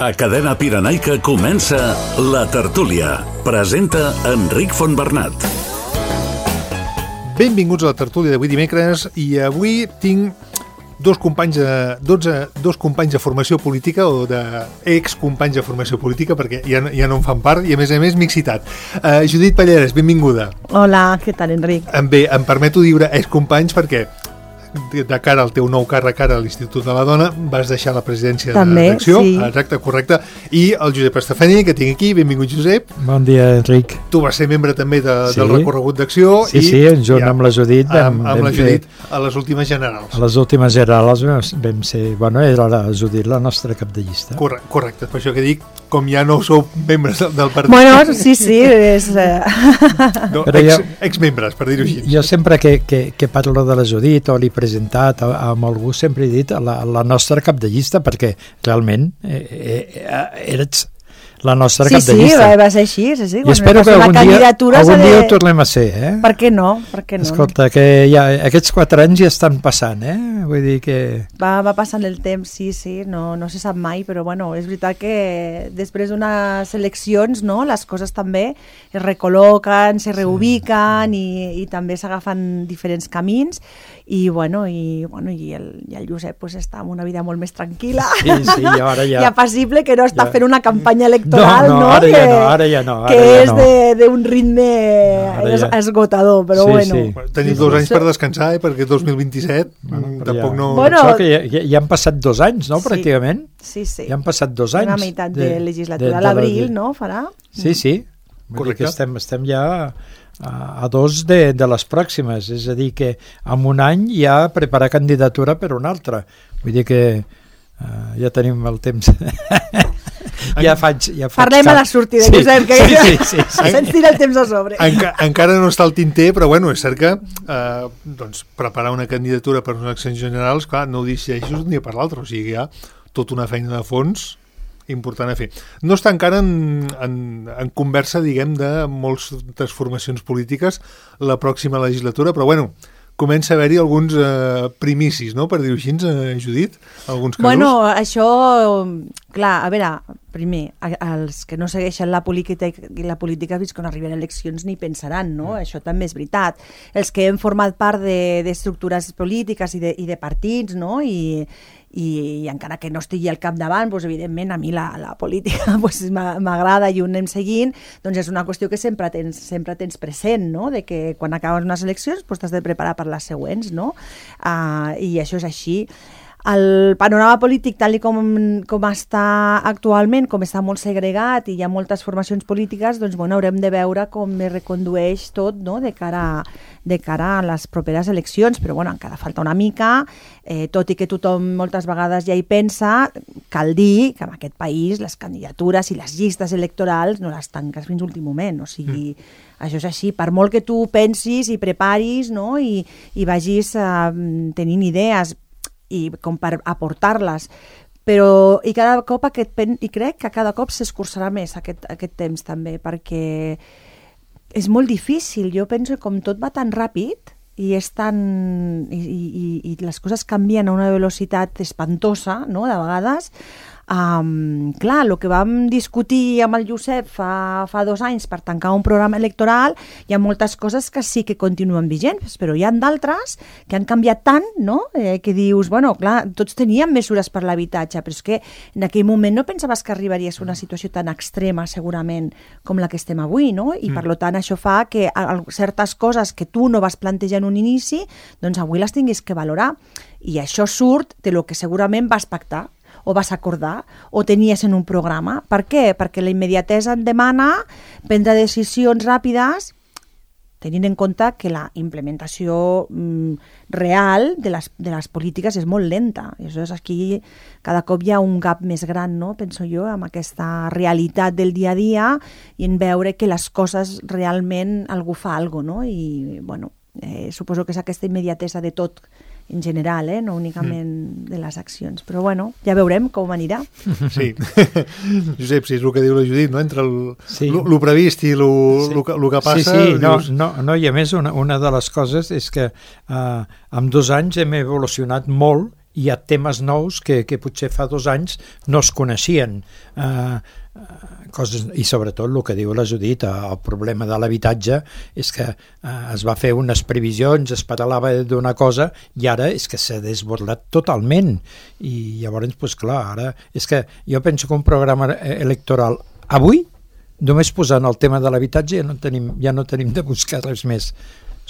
A Cadena Pirenaica comença La Tertúlia. Presenta Enric Fontbernat. Benvinguts a La Tertúlia d'avui dimecres, i avui tinc dos companys de formació política, o d'excompanys de formació política, perquè ja no en fan part, i a més m'he excitat. Judit Palleres, benvinguda. Hola, què tal, Enric? Bé, em permeto dir excompanys perquè de cara al teu nou càrrec ara a l'Institut de la Dona vas deixar la presidència també, de l'acció. Sí. Exacte, correcte. I el Josep Estefani, que tinc aquí. Benvingut, Josep. Bon dia, Enric. Tu vas ser membre també del recorregut d'acció. Sí, junt amb la Judit amb la Judit a les últimes generals. A les últimes generals vam ser... Era la Judit la nostra cap de llista. Correcte, per això que dic, com ja no sou membres del partit. Bueno, sí, és... No, exmembres, per dir-ho així. Jo sempre que parlo de la Judit o l'he presentat amb algú, sempre he dit la nostra cap de llista, perquè realment eres la nostra cap de llista. Sí, va ser així. Sí. I espero que algun dia ho tornem a ser. Per què no? Escolta, que aquests 4 anys ja estan passant, Vull dir que... Va passant el temps, sí, no se sap mai, però bueno, és veritat que després d'unes eleccions, no, les coses també es recol·loquen, se reubiquen i també s'agafen diferents camins, i el Josep pues, està en una vida molt més tranquil·la. Sí, ara ja... I apassible, que no està fent una campanya electoral, Ara ja no. Que és d'un ritme esgotador, però bueno. Sí. Teniu 2 anys per descansar, perquè 2027 tampoc no... Això que ja han passat 2 anys, no, pràcticament? Sí. Ja han passat 2 anys. Una meitat de legislatura. A l'abril, no, farà? Sí. Correcte. Estem ja a 2 de les pròximes, és a dir, que en un any ja preparar candidatura per una altra. Vull dir que ja tenim el temps. Ja faig Parlem a la sortida, Josep, que se'ns tira el temps a sobre. Encara no està al tinter, però bueno, és cert que preparar una candidatura per unes eleccions generals, clar, no ho decideixes d'un dia per l'altre, o sigui, hi ha tota una feina de fons important a fer. No està encara en conversa, diguem, de moltes formacions polítiques la pròxima legislatura, però bueno, comença a haver-hi alguns primicis, no?, per dir-ho així, Judit, alguns casos. Bueno, això, clar, a veure, primer, els que no segueixen la política fins quan arriben eleccions ni pensaran, no? Això també és veritat. Els que hem format part d'estructures polítiques i de partits, no?, i encara que no estigui al capdavant, doncs, evidentment a mi la política m'agrada i ho anem seguint, doncs és una qüestió que sempre tens present, no?, de que quan acabes unes eleccions t'has de preparar per les següents, no? I això és així. El panorama polític, tal com està actualment, com està molt segregat i hi ha moltes formacions polítiques, doncs bueno, haurem de veure com es recondueix tot, no?, de cara a les properes eleccions, però bueno, encara falta una mica, tot i que tothom moltes vegades ja hi pensa, cal dir que en aquest país les candidatures i les llistes electorals no les tanques fins a l'últim moment, o sigui, això és així, per molt que tu pensis i preparis, no?, i vagis tenint idees i com per aportar-les, però i crec que cada cop s'escurçarà més aquest temps també, perquè és molt difícil. Jo penso que com tot va tan ràpid i les coses canvien a una velocitat espantosa, no?, de vegades, clar, el que vam discutir amb el Josep fa 2 anys per tancar un programa electoral, hi ha moltes coses que sí que continuen vigents, però hi ha d'altres que han canviat tant, no?, que dius, bueno, clar, tots teníem mesures per l'habitatge, però és que en aquell moment no pensaves que arribaries a una situació tan extrema, segurament, com la que estem avui, no? I per tant això fa que certes coses que tu no vas plantejar en un inici, doncs avui les tinguis que valorar. I això surt de lo que segurament vas pactar, o vas acordar, o tenies en un programa. Per què? Perquè la immediatesa et demana prendre decisions ràpides, tenint en compte que la implementació real de les polítiques és molt lenta. I aleshores aquí cada cop hi ha un gap més gran, no?, penso jo, amb aquesta realitat del dia a dia i en veure que les coses realment algú fa alguna cosa, no? I bueno, suposo que és aquesta immediatesa de tot en general, no únicament de les accions. Però bueno, ja veurem com anirà. Sí. Josep, si és el que diu la Judit, no?, entre el previst i el que passa... Sí, no, i a més una de les coses és que en 2 anys hem evolucionat molt hi ha temes nous que potser fa 2 anys no es coneixien. Coses, i sobretot el que diu la Judit, el problema de l'habitatge és que es va fer unes previsions, es parlava d'una cosa i ara és que s'ha desbordat totalment, i llavors, doncs clar, ara és que jo penso que un programa electoral avui, només posant el tema de l'habitatge ja no tenim de buscar res més,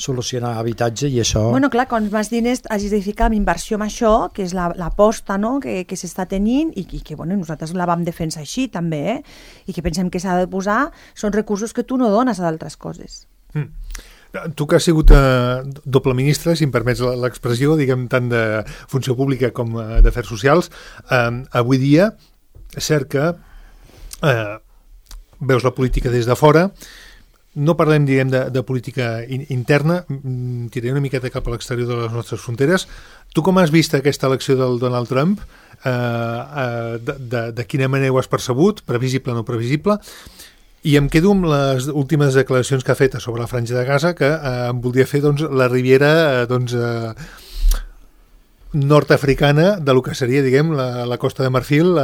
solucionar habitatge i això... Bueno, clar, quan més diners hagis de ficar en inversió en això, que és l'aposta, no?, que s'està tenint i que bueno, nosaltres la vam defensar així també, i que pensem que s'ha de posar, són recursos que tu no dones a d'altres coses. Tu que has sigut doble ministre, si em permets l'expressió, diguem, tant de funció pública com d'afers socials, avui dia és cert que veus la política des de fora. No parlem, diguem, de política interna, tiraré una miqueta cap a l'exterior de les nostres fronteres. Tu com has vist aquesta elecció del Donald Trump? De quina manera ho has percebut? Previsible o no previsible? I em quedo amb les últimes declaracions que ha fet sobre la Franja de Gaza, que em voldria fer la riviera nord-africana de lo que seria, diguem, la Costa de Marfil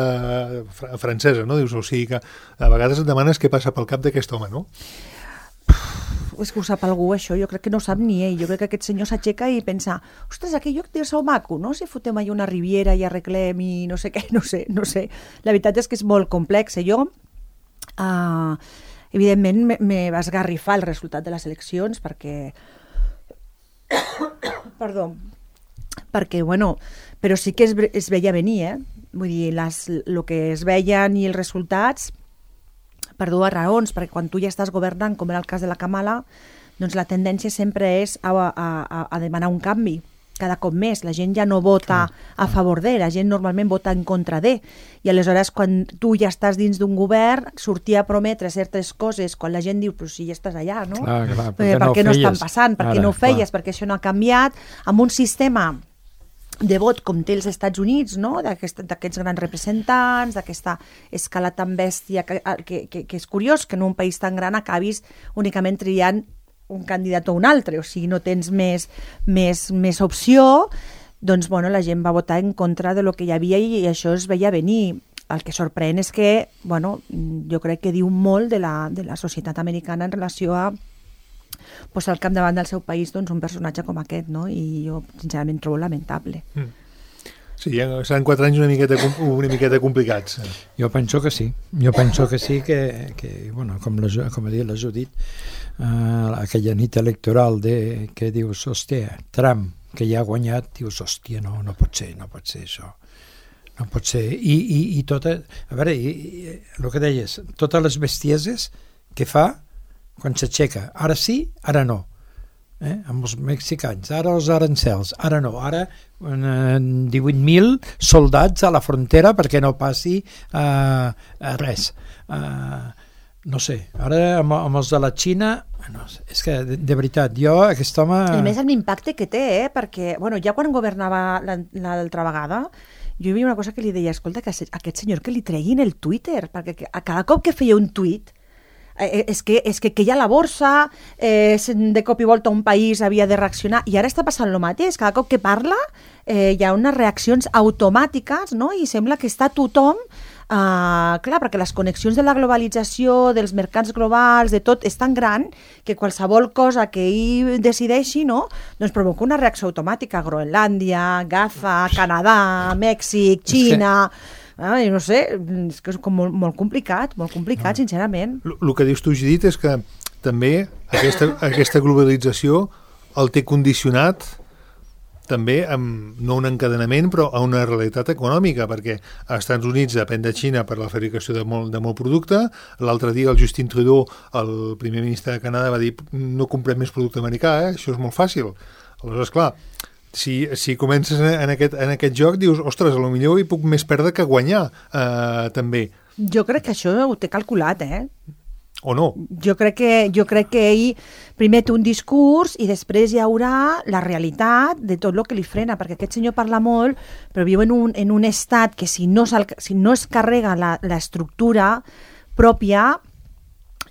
francesa, no? Dius, o sigui que a vegades et demanes què passa pel cap d'aquest home, no? És que ho sap algú, això. Jo crec que no ho sap ni ell. Jo crec que aquest senyor s'aixeca i pensa, ostres, aquell lloc deu ser maco, no? Si fotem allà una riviera i arreglem i no sé què, no sé. La veritat és que és molt complex. Jo, evidentment, me va esgarrifar el resultat de les eleccions perquè... Perdó. Perquè, bueno, però sí que es veia venir, Vull dir, el que es veien i els resultats... per 2 raons, perquè quan tu ja estàs governant, com era el cas de la Kamala, doncs la tendència sempre és a demanar un canvi, cada cop més. La gent ja no vota a favor de, la gent normalment vota en contra de. I aleshores, quan tu ja estàs dins d'un govern, sortir a prometre certes coses, quan la gent diu, però si ja estàs allà, no? Clar, per què no estan passant? Per què no ho feies? Perquè això no ha canviat. Amb un sistema de vot com té els Estats Units, no? D'aquests grans representants, d'aquesta escala tan bèstia que és curiós que en un país tan gran acabis únicament triant un candidat o un altre, o sigui, no tens més opció, doncs bueno, la gent va votar en contra de lo que hi havia i això es veia venir. El que sorprèn és que, bueno, jo crec que diu molt de la societat americana en relació a posar al capdavant del seu país doncs, un personatge com aquest, no? I jo sincerament trobo lamentable. Sí, ja seran 4 anys una miqueta complicats. Jo penso que sí. Jo penso que sí, que bueno, com ha dit la Judit, aquella nit electoral que dius, hòstia, Trump, que ja ha guanyat, dius, hòstia, no pot ser això. No pot ser. I tot, a veure, el que deies, totes les bestieses que fa quan s'aixeca, ara sí, ara no, amb els mexicans, ara els arancels, ara no, ara 18.000 soldats a la frontera perquè no passi res, no sé, ara amb els de la Xina, no, és que de veritat, jo aquest home... I més l'impacte que té, perquè bueno, ja quan governava l'altra vegada, jo hi havia una cosa que li deia, escolta, que aquest senyor que li treguin el Twitter, perquè a cada cop que feia un tuit és que hi ha la borsa, de cop i volta un país havia de reaccionar, i ara està passant el mateix, cada cop que parla hi ha unes reaccions automàtiques, no? I sembla que està tothom, clar, perquè les connexions de la globalització, dels mercats globals, de tot, és tan gran que qualsevol cosa que ell decideixi, no? Doncs provoca una reacció automàtica. Groenlàndia, Gaza, Canadà, Mèxic, Xina... no sé, és que és com molt complicat, sincerament. El que dius tu, Judit, és que també aquesta globalització el té condicionat també amb, no un encadenament, però a una realitat econòmica, perquè als Estats Units depèn de Xina per la fabricació de molt producte. L'altre dia el Justin Trudeau, el primer ministre de Canadà, va dir no comprem més producte americà, això és molt fàcil. Aleshores, clar, si comences en aquest joc, dius, ostres, potser hi puc més perdre que guanyar, també. Jo crec que això ho té calculat, O no? Jo crec que ell primer té un discurs i després hi haurà la realitat de tot el que li frena, perquè aquest senyor parla molt, però viu en un estat que si no es carrega l'estructura pròpia,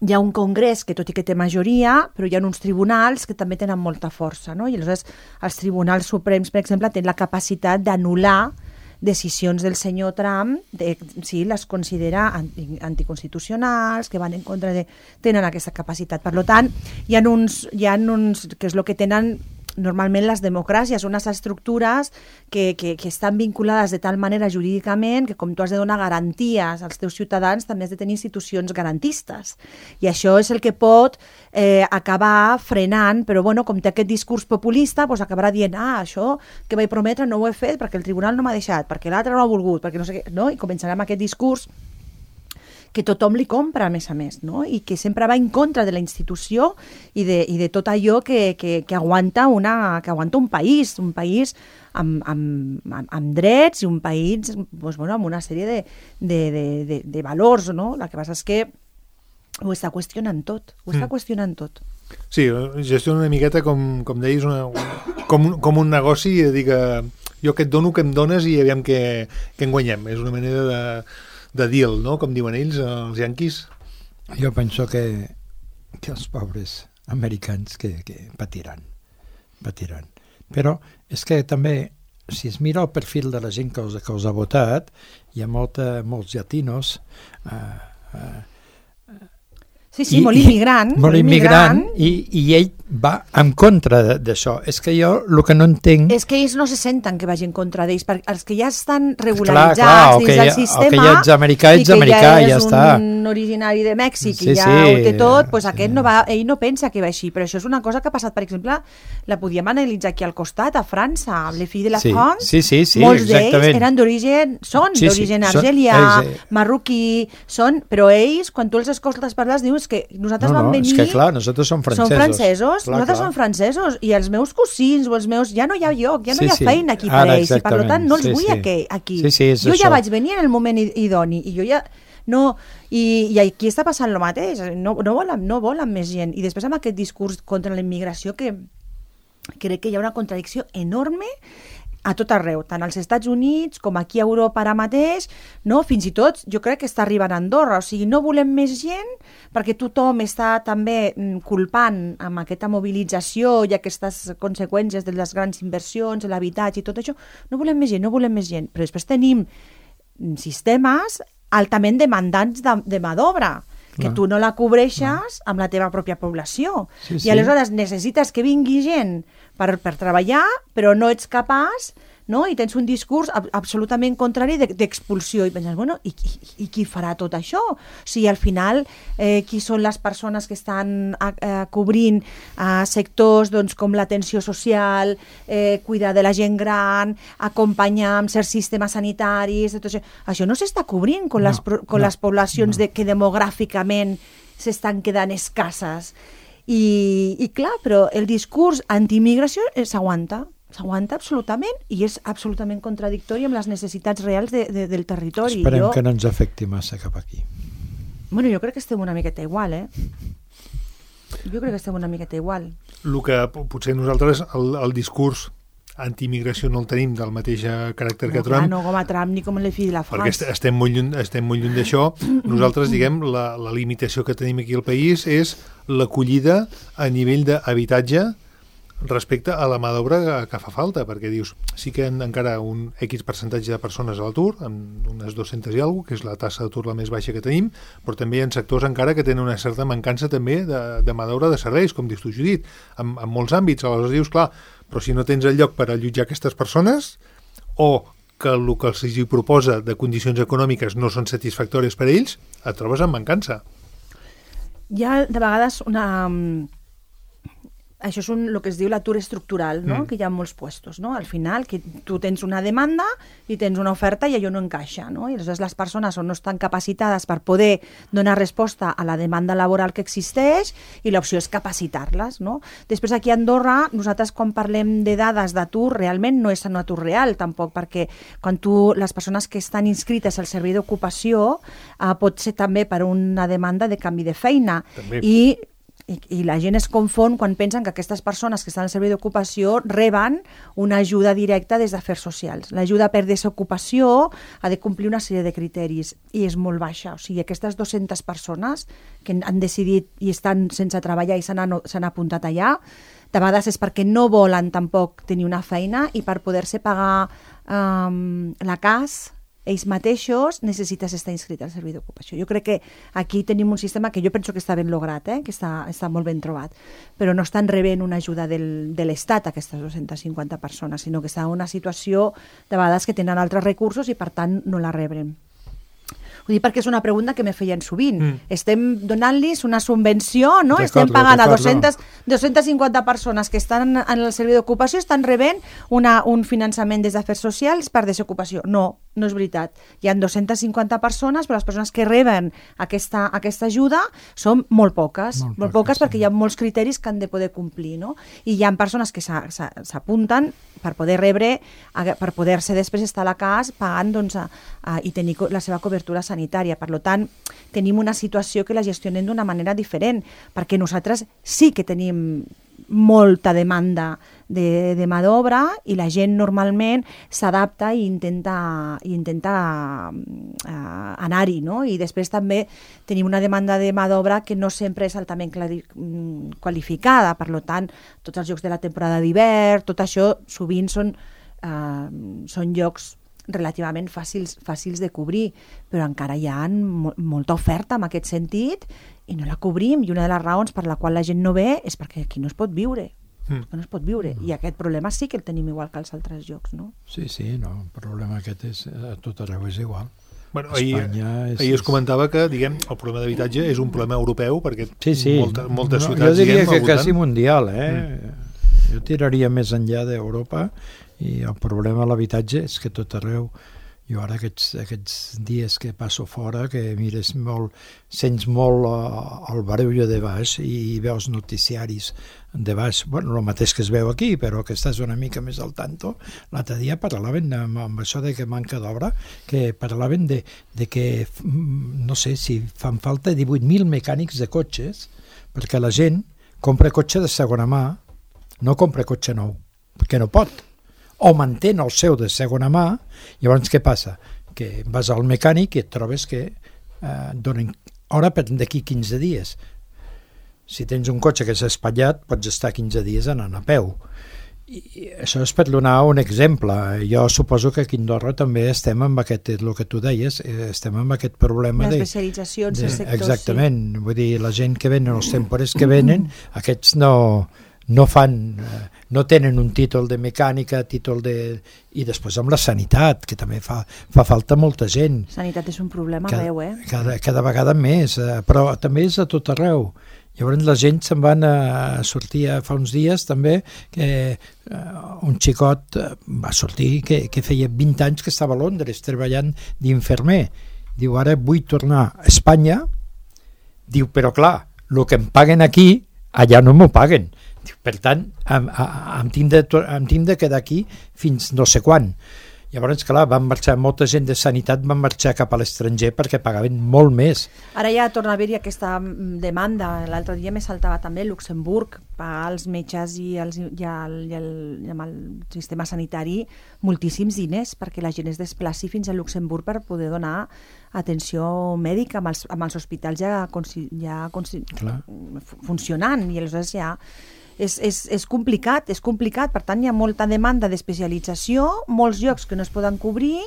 hi ha un congrés que, tot i que té majoria, però hi ha uns tribunals que també tenen molta força, no? I aleshores els tribunals suprems, per exemple, tenen la capacitat d'anul·lar decisions del senyor Trump, si les considera anticonstitucionals, que van en contra de... Tenen aquesta capacitat. Per tant, hi ha uns que és el que tenen normalment les democràcies, unes estructures que estan vinculades de tal manera jurídicament que com tu has de donar garanties als teus ciutadans també has de tenir institucions garantistes. I això és el que pot acabar frenant, però bueno, com té aquest discurs populista, doncs acabarà dient això que vaig prometre no ho he fet perquè el tribunal no m'ha deixat, perquè l'altre no ha volgut, perquè no sé què, no? I començarà amb aquest discurs que tothom li compra, a més, no? I que sempre va en contra de la institució i de tot allò que aguanta un país amb drets i un país doncs, bueno, amb una sèrie de valors, no? El que passa és que ho està qüestionant tot, Sí, gestiona una miqueta, com deies, com un negoci, i dir que jo que et dono, que em dones i aviam què en guanyem. És una manera de deal, no? Com diuen ells, els yanquis. Jo penso que els pobres americans que patiran. Però és que també, si es mira el perfil de la gent que us ha votat, hi ha molts llatinos, Sí, molt immigrant. Molt immigrant, i ell va en contra d'això. És que jo el que no entenc... És que ells no se senten que vagin en contra d'ells, perquè els que ja estan regularitzats dins del sistema, que ja ets americà, i que ja és un originari de Mèxic i ja ho té tot, doncs aquest ell no pensa que va així. Però això és una cosa que ha passat, per exemple, la podíem analitzar aquí al costat, a França, les filles de la France, molts d'ells eren d'origen argelià, marroquí, però ells, quan tu els escoltes parlar, dius que nosaltres vam venir... És que clar, nosaltres som francesos. Nosaltres som francesos, i els meus cosins o els meus... Ja no hi ha lloc, ja no hi ha feina aquí per ells, i per tant no els vull aquí. Jo ja vaig venir en el moment idoni, i jo ja... No, i aquí està passant el mateix, no volen més gent. I després amb aquest discurs contra la immigració, que crec que hi ha una contradicció enorme a tot arreu, tant als Estats Units com aquí a Europa ara mateix, no? Fins i tot jo crec que està arribant a Andorra, o sigui, no volem més gent perquè tothom està també culpant amb aquesta mobilització i aquestes conseqüències de les grans inversions, de l'habitatge i tot això, no volem més gent, però després tenim sistemes altament demandants de mà d'obra, que tu no la cobreixes amb la teva pròpia població. I aleshores necessites que vingui gent per treballar, però no ets capaç, no? I tens un discurs absolutament contrari d'expulsió. I penses, bueno, i qui farà tot això? O sigui, al final, qui són les persones que estan cobrint sectors com l'atenció social, cuidar de la gent gran, acompanyar amb certs sistemes sanitaris, tot això. Això no s'està cobrint con les poblacions que demogràficament s'estan quedant escasses. I clar, però el discurs antiimmigració s'aguanta absolutament, i és absolutament contradictori amb les necessitats reals del territori. Esperem que no ens afecti massa cap aquí. Bueno, jo crec que estem una miqueta igual, Jo crec que estem una miqueta igual. El que potser nosaltres, el discurs antiimmigració no el tenim del mateix caràcter que Trump. No com a Trump ni com el fill de la France. Perquè estem molt lluny d'això. Nosaltres, diguem, la limitació que tenim aquí al país és l'acollida a nivell d'habitatge respecte a la mà d'obra que fa falta, perquè dius, sí que encara un X percentatge de persones a l'atur, amb unes 200 i alguna cosa, que és la tassa d'atur la més baixa que tenim, però també hi ha sectors encara que tenen una certa mancança també de mà d'obra de serveis, com dius tu, Judit, en molts àmbits. Aleshores dius, clar, però si no tens el lloc per allotjar aquestes persones, o que el que els proposa de condicions econòmiques no són satisfactòries per a ells, et trobes amb mancança. Hi ha de vegades això és el que es diu l'atur estructural, no? Que hi ha molts puestos, no? Al final, que tu tens una demanda i tens una oferta i allò no encaixa, no? I aleshores les persones no estan capacitades per poder donar resposta a la demanda laboral que existeix, i l'opció és capacitar-les, no? Després aquí a Andorra, nosaltres quan parlem de dades d'atur, realment no és un atur real tampoc, perquè quan les persones que estan inscrites al servei d'ocupació pot ser també per una demanda de canvi de feina. També. I I la gent es confon quan pensen que aquestes persones que estan al servei d'ocupació reben una ajuda directa des d'Afers Socials. L'ajuda per desocupació ha de complir una sèrie de criteris i és molt baixa. O sigui, aquestes 200 persones que han decidit i estan sense treballar i s'han apuntat allà, de vegades és perquè no volen tampoc tenir una feina i per poder-se pagar la CAS ells mateixos necessites estar inscrit al servei d'ocupació. Jo crec que aquí tenim un sistema que jo penso que està ben lograt, que està molt ben trobat, però no estan rebent una ajuda de l'Estat aquestes 250 persones, sinó que està en una situació de vegades que tenen altres recursos i per tant no la rebrem. Ho dic perquè és una pregunta que me feien sovint. Estem donant-los una subvenció, no? Estem pagant a 250 persones que estan en el servei d'ocupació, estan rebent un finançament des d'Afers Socials per desocupació. No és veritat. Hi ha 250 persones, però les persones que reben aquesta ajuda són molt poques. Molt poques perquè hi ha molts criteris que han de poder complir, no? I hi ha persones que s'apunten per poder rebre, per poder-se després estar a la CAS pagant i tenir la seva cobertura sanitària. Per tant, tenim una situació que la gestionem d'una manera diferent, perquè nosaltres sí que tenim molta demanda de mà d'obra i la gent normalment s'adapta i intenta anar-hi, no? I després també tenim una demanda de mà d'obra que no sempre és altament qualificada, per tant, tots els llocs de la temporada d'hivern, tot això sovint són llocs relativament fàcils de cobrir, però encara hi ha molta oferta en aquest sentit i no la cobrim, i una de les raons per la qual la gent no ve és perquè aquí no es pot viure. No es pot viure, i aquest problema sí que el tenim igual que als altres llocs, no? Sí, el problema aquest és a tot arreu és igual. Bueno, ahir es comentava que, diguem, el problema d'habitatge és un problema europeu, perquè moltes ciutats... Jo diria que quasi mundial, Jo tiraria més enllà d'Europa, i el problema de l'habitatge és que tot arreu, jo ara aquests dies que passo fora, que mires molt, sents molt el barullo de baix i veus noticiaris de baix, bueno, el mateix que es veu aquí, però que estàs una mica més al tanto. L'altre dia parlaven amb això de que manca d'obra, que parlaven de que, no sé, si fan falta 18.000 mecànics de cotxes, perquè la gent compra cotxe de segona mà, no compra cotxe nou, perquè no pot, o mantén el seu de segona mà. Llavors què passa? Que vas al mecànic i et trobes que donen hora per d'aquí 15 dies. Si tens un cotxe que s'ha espatllat, pots estar 15 dies anant a peu. I això és per donar un exemple. Jo suposo que aquí a Andorra també estem amb aquest, el que tu deies, estem amb aquest problema d'especialitzacions en sectors. Exactament, vull dir, la gent que venen, els temporers que venen, aquests no tenen un títol de mecànica, i després amb la sanitat, que també fa falta molta gent. Sanitat és un problema arreu, cada vegada més, però també és a tot arreu. Llavors la gent se'n van a sortir fa uns dies també, que un xicot va sortir que feia 20 anys que estava a Londres treballant d'infermer. Diu, ara vull tornar a Espanya. Diu, però clar, el que em paguen aquí, allà no m'ho paguen. Per tant, em tinc de quedar aquí fins no sé quan. Llavors, clar, molta gent de sanitat van marxar cap a l'estranger perquè pagaven molt més. Ara ja torna a haver-hi aquesta demanda. L'altre dia me saltava també Luxemburg, pagar als metges i amb el sistema sanitari moltíssims diners perquè la gent es desplaci fins a Luxemburg per poder donar atenció mèdica amb els hospitals ja funcionant, i aleshores ja és complicat, per tant hi ha molta demanda d'especialització, molts llocs que no es poden cobrir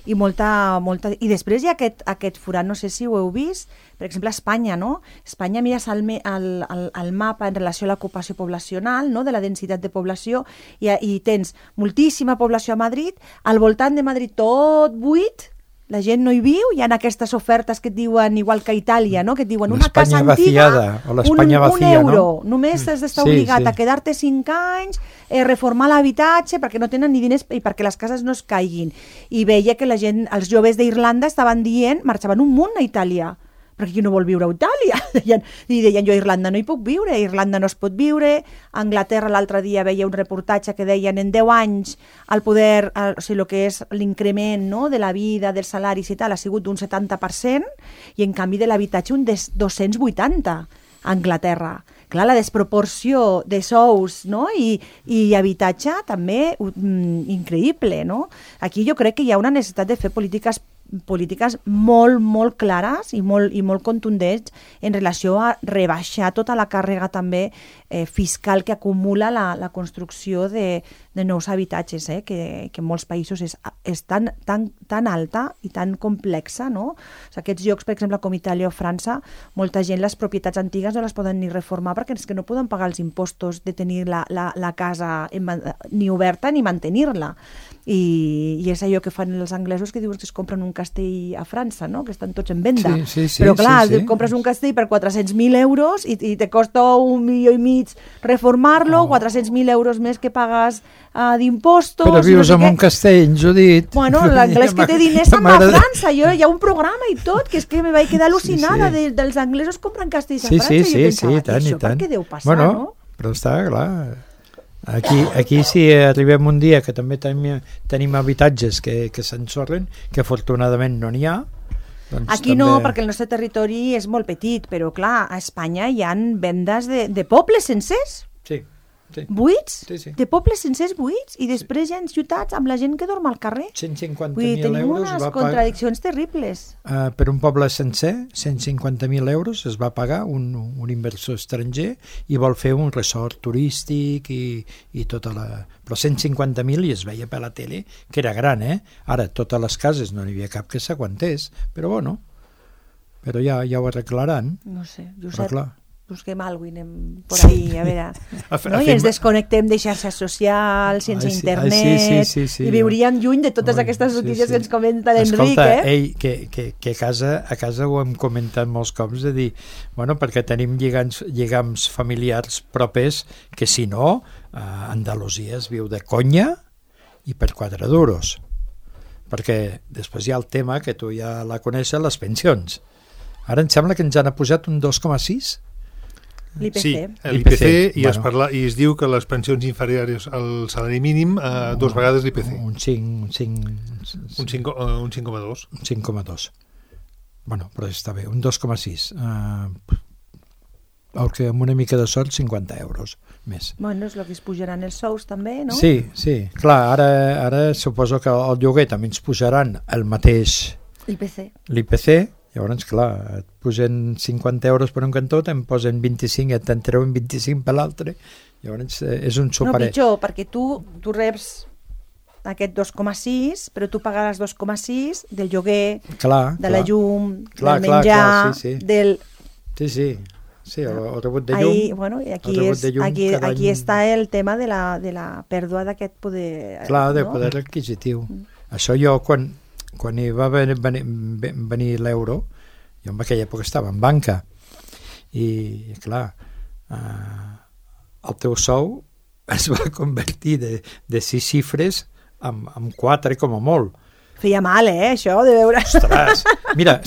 i i després hi ha aquest forat, no sé si ho heu vist, per exemple a Espanya, no? Espanya, mires el mapa en relació a l'ocupació poblacional, no? De la densitat de població, i tens moltíssima població a Madrid, al voltant de Madrid tot buit, la gent no hi viu, hi ha aquestes ofertes que et diuen, igual que a Itàlia, no? Que et diuen una casa antiga, un euro, no? Només has d'estar obligat a quedar-te 5 anys, reformar l'habitatge perquè no tenen ni diners i perquè les cases no es caiguin. I veia que la gent, els joves d'Irlanda estaven dient, marxaven un munt a Itàlia, perquè qui no vol viure a Itàlia? I deien, jo a Irlanda no hi puc viure, a Irlanda no es pot viure. A Anglaterra l'altre dia veia un reportatge que deien en 10 anys el poder, o sigui, el que és l'increment, no?, de la vida, dels salaris i tal, ha sigut d'un 70%, i en canvi de l'habitatge un 280% a Anglaterra. clar, la desproporció de sous, no? I habitatge també increïble, no? Aquí jo crec que hi ha una necessitat de fer polítiques molt, molt clares i molt contundents en relació a rebaixar tota la càrrega també fiscal que acumula la construcció de nous habitatges, que en molts països és tan alta i tan complexa, no? O sigui, aquests llocs, per exemple, com Itàlia o França, molta gent les propietats antigues no les poden ni reformar perquè és que no poden pagar els impostos de tenir la casa ni oberta ni mantenir-la. I és allò que fan els anglesos, que diuen que es compren un castell a França, no? Que estan tots en venda. Sí, però clar, compres un castell per 400.000 euros i te costa 1,5 milió reformar-lo, 400.000 euros més que pagues d'impostos... Però vius en un castell, Judit. Bueno, l'anglès que té diners se'n va a França. Hi ha un programa i tot, que és que me vaig quedar al·lucinada dels anglesos compren castells a França. Sí, i tant, això per què deu passar, bueno, no? Però està clar... Aquí si arribem un dia que també tenim habitatges que s'ensorren, que afortunadament no n'hi ha, doncs aquí també... no, perquè el nostre territori és molt petit, però clar, a Espanya hi ha vendes de pobles sencers. Sí. Buits? Sí. De pobles sencers buits i després hi ha ciutats amb la gent que dorm al carrer. 150.000 tenim euros unes contradiccions terribles. Per un poble sencer, 150.000 euros es va pagar un inversor estranger i vol fer un resort turístic i tota la... Però 150.000 i es veia per la tele que era gran, Ara, totes les cases no n'hi havia cap que s'aguantés, però bueno, però ja ho arreglaran. No sé, Josep. Però clar, busquem alguna cosa i anem por ahí, a veure... no? I ens desconnectem de xarxes socials, sense internet, sí, i viuríem lluny de totes aquestes notícies que ens comenta l'Enric. Escolta, que a casa ho hem comentat molts cops, de dir, bueno, perquè tenim lligams familiars propers que si no, a Andalusia es viu de conya i per 4 duros. Perquè després hi ha el tema, que tu ja la coneixes, les pensions. Ara em sembla que ens han posat un 2,6%. L'IPC. Sí, l'IPC, i es diu que les pensions inferiors al salari mínim 2 vegades l'IPC. Un 5,2. Un 5,2. Un 5,2. Bueno, però està bé, un 2,6. El que amb una mica de sort, 50 euros més. Bueno, és el que es pujaran els sous també, no? Sí. Clar, ara suposo que el lloguer també ens pujaran el mateix l'IPC. Llavors, clar, et posen 50 euros per un cantó, te'n posen 25 i te'n treuen 25 per l'altre. Llavors, és un superet. No, pitjor, perquè tu reps aquest 2,6, però tu pagaràs 2,6 del lloguer, de la llum, del menjar, del... Sí, el rebut de llum. Bueno, aquí està el tema de la pèrdua d'aquest poder... Clar, de poder adquisitiu. Això jo, quan hi va venir l'euro, jo en aquella època estava en banca i clar, el teu sou es va convertir de 6 xifres en 4 com a molt. Feia mal, això, de veure... Ostres! Mira,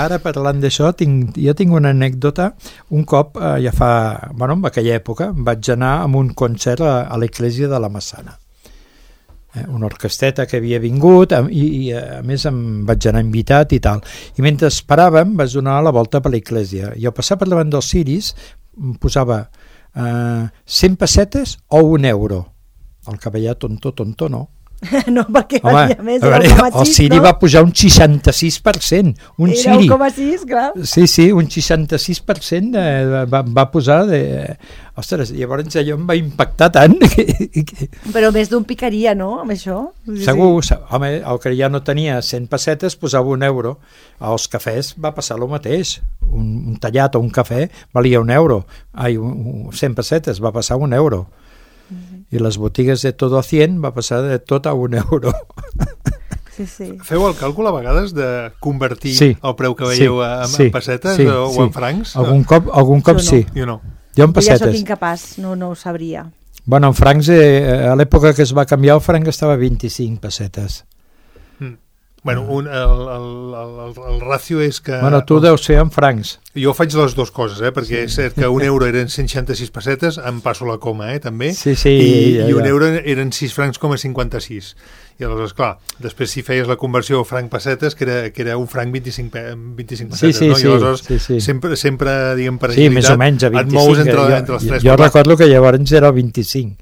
ara parlant d'això, jo tinc una anècdota. Un cop, ja fa... Bueno, en aquella època, vaig anar a un concert a l'església de la Massana. Una orquesteta que havia vingut i a més em vaig anar invitat i tal. I mentre esperàvem vaig donar la volta per l'església i al passar per davant dels ciris em posava 100 pessetes o 1 euro. El cavallar tonto no. No, perquè home, més el Siri va pujar un 66%. Un era Siri. 1,6, clar. Sí, un 66% va posar de... Ostres, llavors allò em va impactar tant. Però més d'un picaria, no, amb això? Segur, home, el que ja no tenia 100 pessetes posava 1 euro. Als cafès va passar el mateix. Un tallat o un cafè valia 1 euro. 100 pessetes va passar 1 euro. I les botigues de tot a 100 va passar de tot a 1 euro. Sí. Feu el càlcul a vegades de convertir el preu que veieu en pessetes o en francs? Algun cop sí. Jo no. Jo en pessetes. Ja sóc incapaç, no ho sabria. Bueno, en francs, a l'època que es va canviar el franc estava a 25 pessetes. Bueno, el ràcio és que... Bueno, tu deus ser en francs. Jo faig les dues coses, perquè és cert que un euro eren 166 pessetes, em passo la coma, també, sí, i un euro eren 6 francs com a 56. I aleshores, clar, després si feies la conversió franc-pessetes, que era un franc 25 pessetes, no? I aleshores sempre, diguem, per agilitat, més o menys, a 25, et mous entre els tres. Jo recordo que llavors era 25.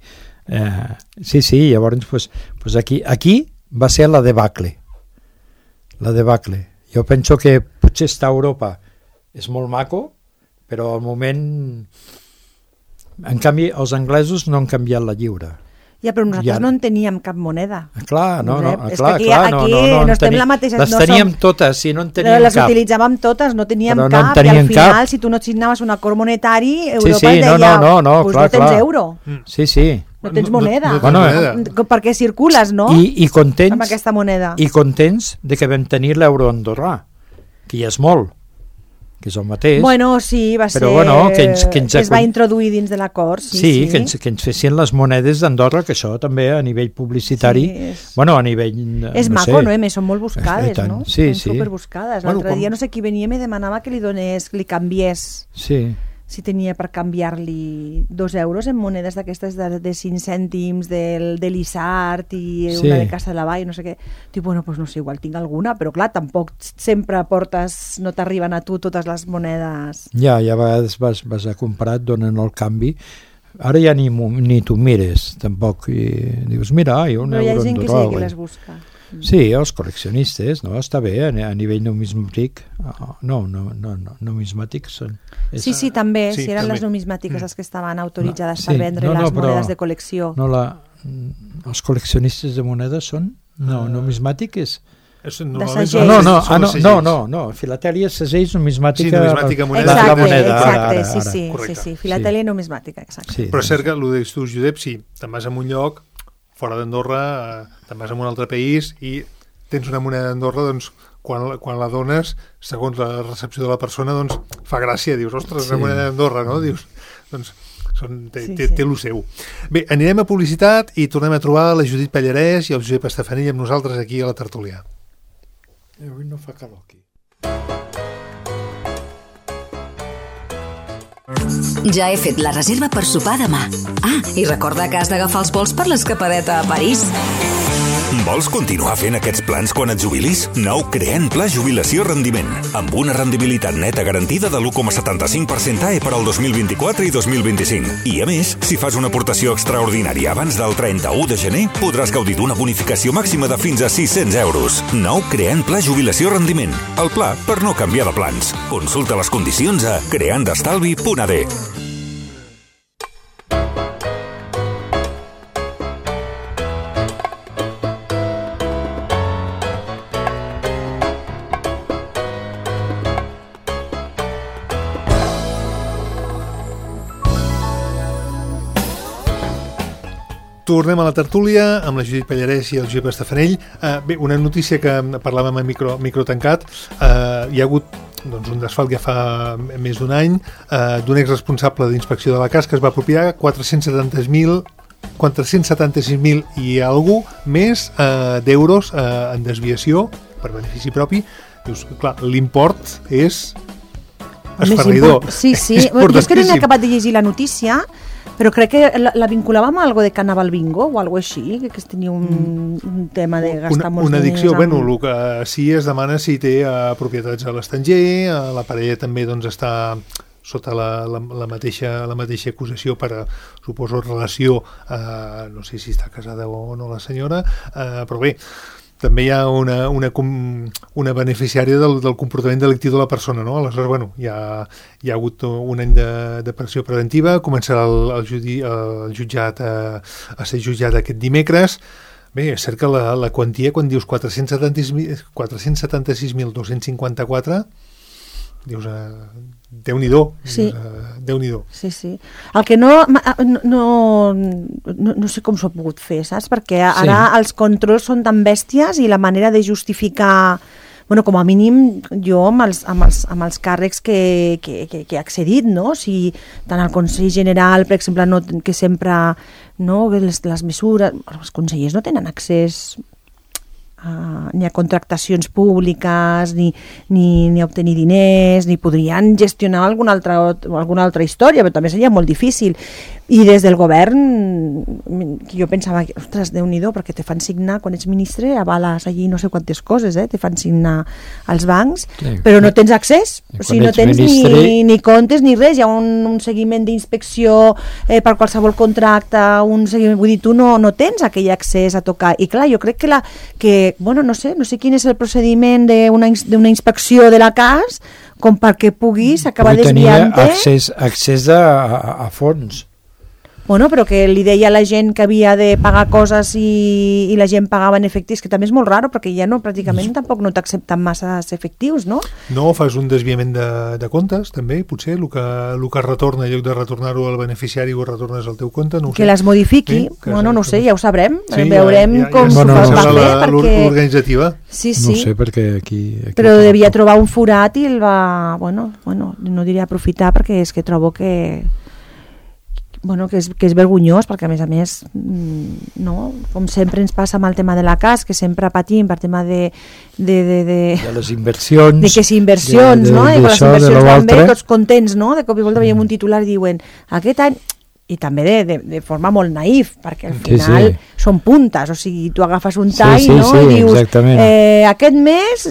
Llavors, pues aquí va ser la debacle. La debacle. Jo penso que potser estar a Europa és molt maco, però al moment... En canvi, els anglesos no han canviat la lliura. Ja, però nosaltres no en teníem cap moneda. Clar, no estem la mateixa... Les teníem totes, si no en teníem cap. Les utilitzàvem totes, no teníem cap, i al final, si tu no signaves un acord monetari, Europa et deia, pues no tens euro. Sí. No tens moneda. Perquè circules, no? I contents, amb aquesta moneda. I contents de que vam tenir l'euro andorrà, que ja és molt, que és el mateix. Bueno, sí, va ser... Però bueno, que es va introduir dins de l'acord, sí. Que ens fessin les monedes d'Andorra, que això també a nivell publicitari... Bueno, a nivell... És maco, no? Són molt buscades, no? Sí. Són superbuscades. L'altre dia no sé qui venia i me demanava que li canviés... Sí. Si tenia per canviar-li 2 euros en monedes d'aquestes de 5 cèntims de l'Isart i una de Casa de la Vall, no sé què. Dic, bueno, doncs no sé, igual tinc alguna, però clar, tampoc sempre no t'arriben a tu totes les monedes. Ja a vegades vas a comprar, et donen el canvi. Ara ja ni tu mires, tampoc. I dius, mira, hi ha un euro en Però hi ha gent que sí que les busca. Sí, els col·leccionistes, no? Està bé, a nivell numismàtic. No, numismàtics són... Sí, també, si eren les numismàtiques les que estaven autoritzades per vendre les monedes de col·lecció. Els col·leccionistes de monedes són... No, numismàtic és... De segell. No, filatèlia, segell, numismàtica... moneda. Exacte, sí, filatèlia numismàtica, exacte. Però és cert que el que dius tu, Josep, si te'n vas a un lloc fora d'Andorra, te'n vas a un altre país i tens una moneda d'Andorra, doncs quan la dones, segons la recepció de la persona, doncs fa gràcia, dius, ostres, una moneda d'Andorra, no? Dius, doncs té lo seu. Bé, anirem a publicitat i tornem a trobar la Judit Pallarès i el Josep Estefanell amb nosaltres aquí a la tertúlia. Avui no fa calor aquí. Ja he fet la reserva per sopar demà. I recorda que has d'agafar els vols per l'escapadeta a París. Vols continuar fent aquests plans quan et jubilis? Nou Creant Pla Jubilació Rendiment, amb una rendibilitat neta garantida de l'1,75% AE per al 2024 i 2025. I a més, si fas una aportació extraordinària abans del 31 de gener, podràs gaudir d'una bonificació màxima de fins a 600 euros. Nou Creant Pla Jubilació Rendiment, el pla per no canviar de plans. Consulta les condicions a creandestalvi.ad. Tornem a la tertúlia amb la Judit Pallarès i el Josep Estefanell. Bé, una notícia que parlàvem a micro tancat. Hi ha hagut un desfalt ja fa més d'un any d'un exresponsable d'inspecció de la CAS que es va apropiar 476.000 i algú més d'euros en desviació per benefici propi. Dius, clar, l'import és esferridor. Sí. Jo és que no he acabat de llegir la notícia, però crec que la vinculàvem a algo de Carnaval Bingo o algo així, que tenia un tema de gastar molts diners. Una addicció, el que sí es demana si té propietats a l'estranger, la parella també està sota la mateixa acusació per, suposo, relació, no sé si està casada o no la senyora, però bé, també hi ha una beneficiària del comportament delictiu de la persona, no? Aleshores, hi ha hagut un any de pressió preventiva, començarà el jutjat a ser jutjat aquest dimecres. Bé, és cert que la quantia, quan dius 476.254, dius, Déu-n'hi-do. Sí. Déu-n'hi-do. Sí. El que no sé com s'ho ha pogut fer, saps? Perquè ara els controls són tan bèsties i la manera de justificar, com a mínim jo amb els càrrecs que he accedit, no? Si tant el Consell General, per exemple, que sempre les mesures, els consellers no tenen accés ni a contractacions públiques, ni a obtenir diners, ni podrien gestionar alguna altra història, però també seria molt difícil. I des del govern, jo pensava, ostres, Déu-n'hi-do, perquè te fan signar, quan ets ministre, avales allí no sé quantes coses, te fan signar als bancs, però no tens accés, o sigui, no tens ni comptes ni res, hi ha un seguiment d'inspecció per qualsevol contracte, vull dir, tu no tens aquell accés a tocar, i clar, jo crec que no sé quin és el procediment d'una inspecció de la CAS com perquè puguis acabar desviant-te. Accés a fons. Bueno, però que li deia a la gent que havia de pagar coses i la gent pagava en efectius, que també és molt raro, perquè ja pràcticament tampoc no t'accepten massa efectius, no? No, fas un desviament de comptes, també, potser, el que retorna, en lloc de retornar-ho al beneficiari, ho retornes al teu compte, no ho sé. Que les modifiqui, no ho sé, ja ho sabrem, veurem com s'ho fa fer, l'organitzativa. Sí. No sé, perquè aquí... Però devia trobar un forat i el va, no diria aprofitar, perquè és que trobo que és vergonyós, perquè a més com sempre ens passa amb el tema de la CAS, que sempre patim per tema de les inversions, de que si inversions, i quan les inversions van bé, tots contents, de cop i volta veiem un titular i diuen aquest any, i també de forma molt naïf, perquè al final són puntes, o sigui, tu agafes un tall i dius, aquest mes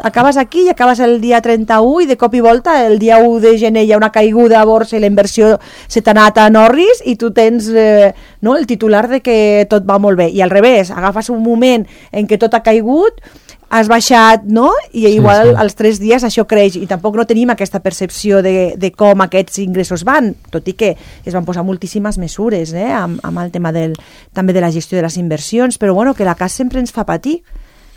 acabes aquí i acabes el dia 31 i de cop i volta el dia 1 de gener hi ha una caiguda a borsa i la inversió se t'ha anat a Norris i tu tens el titular de que tot va molt bé, i al revés, agafes un moment en què tot ha caigut, has baixat, i igual als 3 dies això creix, i tampoc no tenim aquesta percepció de com aquests ingressos van, tot i que es van posar moltíssimes mesures amb el tema també de la gestió de les inversions, però que la CAS sempre ens fa patir,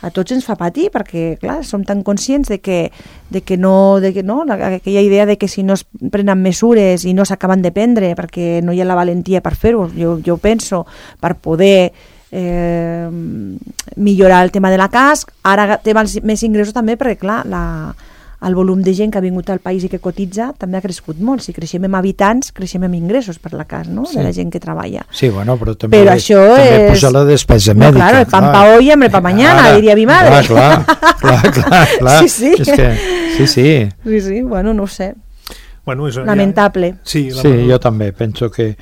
a tots ens fa patir, perquè clar, som tan conscients de que aquella idea de que si no es prenen mesures i no s'acaben de prendre perquè no hi ha la valentia per fer-ho, jo penso, per poder millorar el tema de la CAS, ara té més ingressos també perquè clar, el volum de gent que ha vingut al país i que cotitza també ha crescut molt, si creixem en habitants creixem en ingressos per la CAS, de la gent que treballa. Sí, però també puja la despesa mèdica. Claro, el pan pa hoy, hambre pa mañana, diria mi madre. Clar. Sí. Sí, no ho sé. Lamentable. Sí, jo també penso que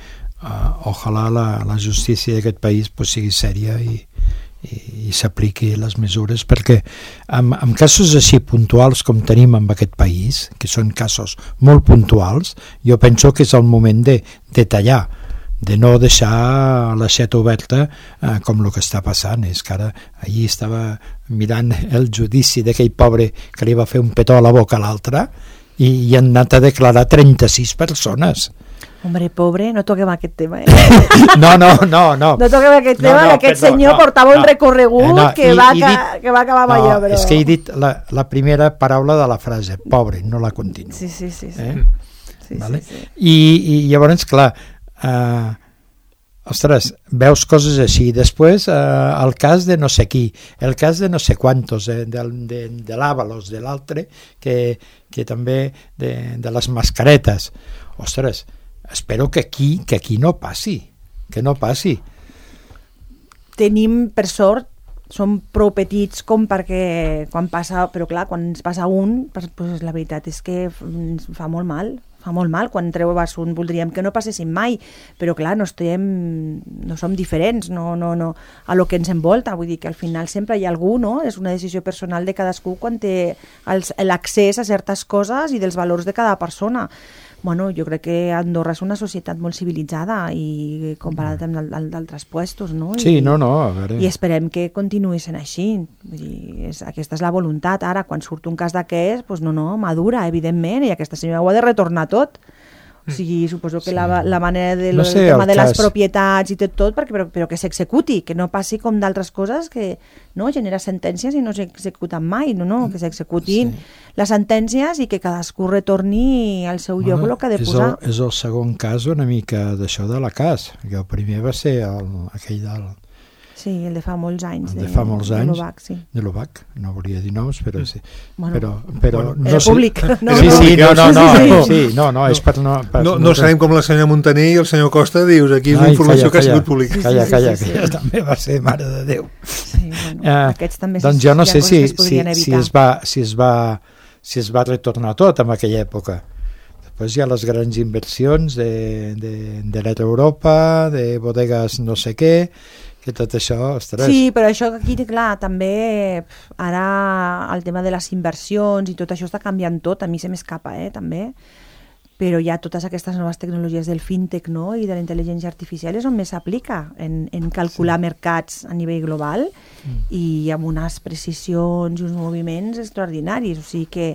ojalà la justícia d'aquest país sigui sèria i s'apliqui les mesures, perquè en casos així puntuals com tenim en aquest país, que són casos molt puntuals, jo penso que és el moment de tallar, de no deixar l'aixeta oberta com el que està passant. És que ara ahir estava mirant el judici d'aquell pobre que li va fer un petó a la boca a l'altre i han anat a declarar 36 persones. Hombre, pobre, no toquem aquest tema, No. No toquem aquest tema, que aquest senyor portava un recorregut que va acabar amb allò, però... És que he dit la primera paraula de la frase, pobre, no la continuo. Sí. Vale? I llavors, clar, ostres, veus coses així. Després, el cas de no sé qui, el cas de no sé quantos, de l'Avalos, de l'altre, que també de les mascaretes. Ostres, espero que aquí no passi, Tenim, per sort, som prou petits com perquè quan passa, però clar, quan ens passa un, pues la veritat és que ens fa molt mal, quan treues un voldríem que no passessin mai, però clar, no som diferents a lo que ens envolta, vull dir que al final sempre hi ha algú, és una decisió personal de cadascú quan té l'accés a certes coses i dels valors de cada persona. Bueno, jo crec que Andorra és una societat molt civilitzada i comparat amb d'altres puestos, no? Sí, a veure. I esperem que continuï sent així. Vull dir, aquesta és la voluntat. Ara, quan surt un cas d'aquest, doncs madura, evidentment, i aquesta senyora ho ha de retornar tot. O sigui, suposo que la manera del tema de les propietats i tot, però que s'executi, que no passi com d'altres coses que genera sentències i no s'executen mai, que s'executin les sentències i que cadascú retorni al seu lloc el que ha de posar. És el segon cas una mica d'això de la CAS, que el primer va ser aquell del... Sí, el de fa molts anys. De fa molts anys. De l'OVAC, sí. De l'OVAC, no volia dir noms, però sí. Bueno, però no sé. Públic. No, no, és per no... No sabem com la senyora Montaner i el senyor Costa dius, aquí és una informació que ha sigut pública. Calla, que també va ser mare de Déu. Sí, bueno, aquests també... Doncs jo no sé si es va retornar tot en aquella època. Després hi ha les grans inversions de l'Europa, de bodegues no sé què, que tot això, ostres... Sí, però això aquí, clar, també ara el tema de les inversions i tot això està canviant tot, a mi se m'escapa, també, però hi ha totes aquestes noves tecnologies del fintech, no?, i de la intel·ligència artificial és on més s'aplica en calcular mercats a nivell global i amb unes precisions i uns moviments extraordinaris, o sigui que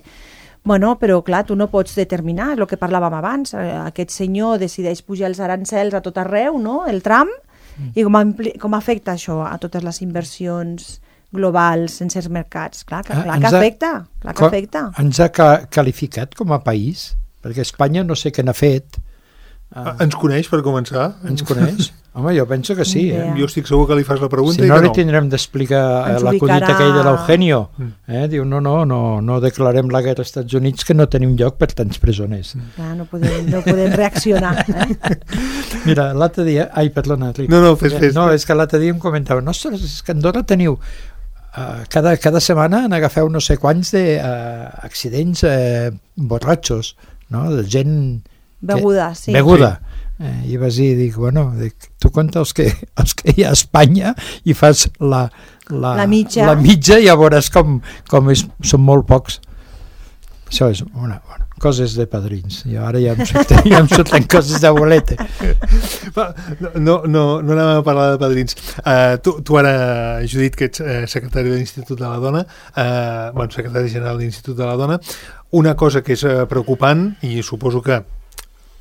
bueno, però clar, tu no pots determinar, és el que parlàvem abans, aquest senyor decideix pujar els arancels a tot arreu, no?, el Trump, i com afecta això a totes les inversions globals en certs mercats? Clar que afecta, Ens ha qualificat com a país, perquè Espanya no sé què n'ha fet. Ens coneix, per començar? Ens coneix? Home, jo penso que sí. Jo estic segur que li fas la pregunta si no, li tindrem d'explicar l'acudit aquell de l'Eugenio. Diu, no declarem la guerra als Estats Units, que no tenim lloc per tants presoners. Clar, no podem reaccionar. Mira, l'altre dia... Ai, perdona, Ric. No, fes. No, és que l'altre dia em comentava, ostres, és que a Andorra teniu... cada setmana n'agafeu no sé quants d'accidents borratxos, no?, de gent... Beguda, sí. Beguda. I vas dir, bueno, tu compta els que hi ha a Espanya i fas la mitja i ja veuràs com són molt pocs. Això és coses de padrins. I ara ja em surten coses de bolete. No anem a parlar de padrins. Tu ara, Judit, que ets secretari de l'Institut de la Dona, secretari general de l'Institut de la Dona, una cosa que és preocupant, i suposo que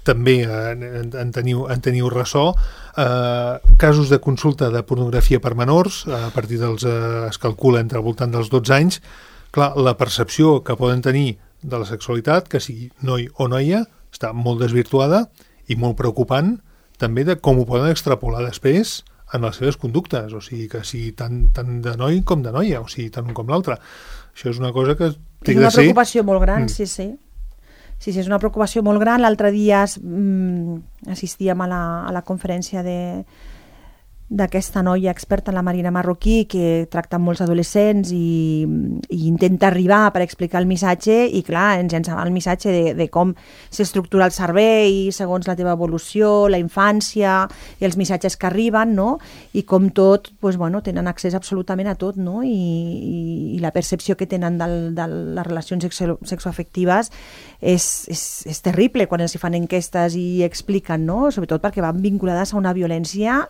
també en teniu ressò, casos de consulta de pornografia per menors, a partir es calcula entre al voltant dels 12 anys. Clar, la percepció que poden tenir de la sexualitat, que sigui noi o noia, està molt desvirtuada i molt preocupant també de com ho poden extrapolar després en les seves conductes, o sigui, que sigui tant de noi com de noia, o sigui, tant un com l'altre. Això és una cosa que és una preocupació molt gran, sí. Sí, és una preocupació molt gran. L'altre dia assistíem a la conferència d'aquesta noia experta en la Marina Marroquí, que tracta amb molts adolescents i intenta arribar per explicar el missatge, i clar, ens llançava el missatge de com s'estructura el cervell segons la teva evolució, la infància i els missatges que arriben, no? I com tot, tenen accés absolutament a tot, no? I la percepció que tenen de les relacions sexoafectives és terrible quan els fan enquestes i expliquen, no? Sobretot perquè van vinculades a una violència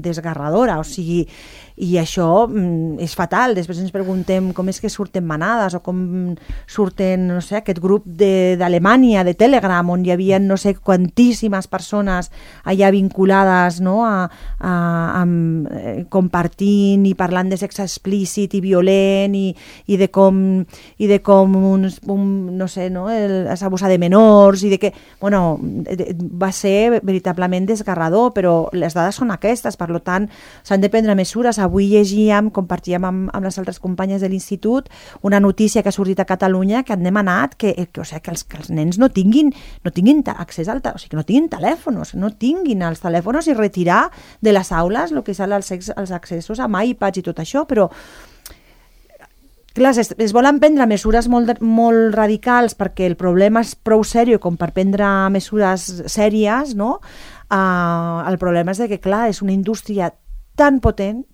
desgarradora, o sigui, i això és fatal. Després ens preguntem com és que surten manades o com surten, no sé, aquest grup d'Alemanya, de Telegram, on hi havia no sé quantíssimes persones allà vinculades, no?, compartint i parlant de sexe explícit i violent i de com no sé, no?, s'abusar de menors i de que, va ser veritablement desgarrador, però les dades són aquestes, per tant, s'han de prendre mesures. Avui compartíem amb les altres companyes de l'Institut una notícia que ha sortit a Catalunya que han demanat que els nens no tinguin accés o sigui, que no tinguin telèfons, no tinguin els telèfons i retirar de les aules el que són els accessos amb iPads i tot això, però clar, es volen prendre mesures molt radicals perquè el problema és prou sèrio com per prendre mesures sèries, no? El problema és que, clar, és una indústria tan potent,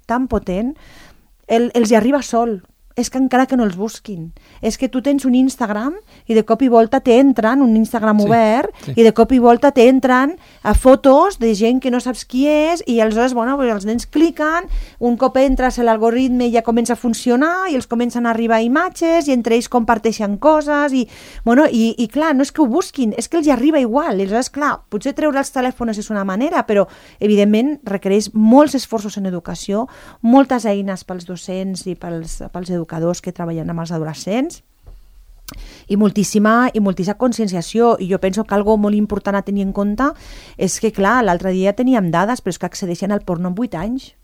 els hi arriba sol. És que encara que no els busquin. És que tu tens un Instagram i de cop i volta t'entren, un Instagram obert, i de cop i volta t'entren a fotos de gent que no saps qui és, i aleshores, els nens cliquen, un cop entres l'algoritme ja comença a funcionar i els comencen a arribar imatges i entre ells comparteixen coses i clar, no és que ho busquin, és que els hi arriba igual. I aleshores, clar, potser treure els telèfons és una manera, però evidentment requereix molts esforços en educació, moltes eines pels docents i pels educadors que treballen amb els adolescents i moltíssima conscienciació. I jo penso que algo molt important a tenir en compte és que, clar, l'altre dia teníem dades, però és que accedeixen al porno amb 8 anys.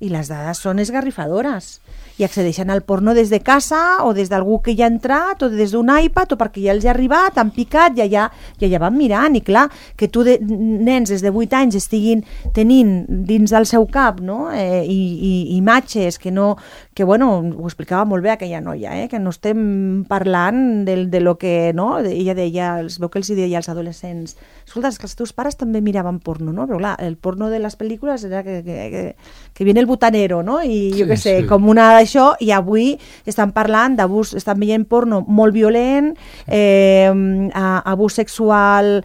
i les dades són esgarrifadores. I accedeixen al porno des de casa o des d'algú que ja ha entrat o des d'un iPad o perquè ja els ha arribat, han picat i ja van mirant. I clar, que tu nens des de 8 anys estiguin tenint dins del seu cap, no? I imatges que no... Que bueno, ho explicava molt bé aquella noia, que no estem parlant de lo que... No? Ella deia, es veu que els deia als adolescents, escolta, és que els teus pares també miraven porno, no? Però clar, el porno de les pel·lícules era que viene el butanero, no? I jo què sé, com una d'això, i avui estan parlant d'abús, estan veient porno molt violent, abús sexual,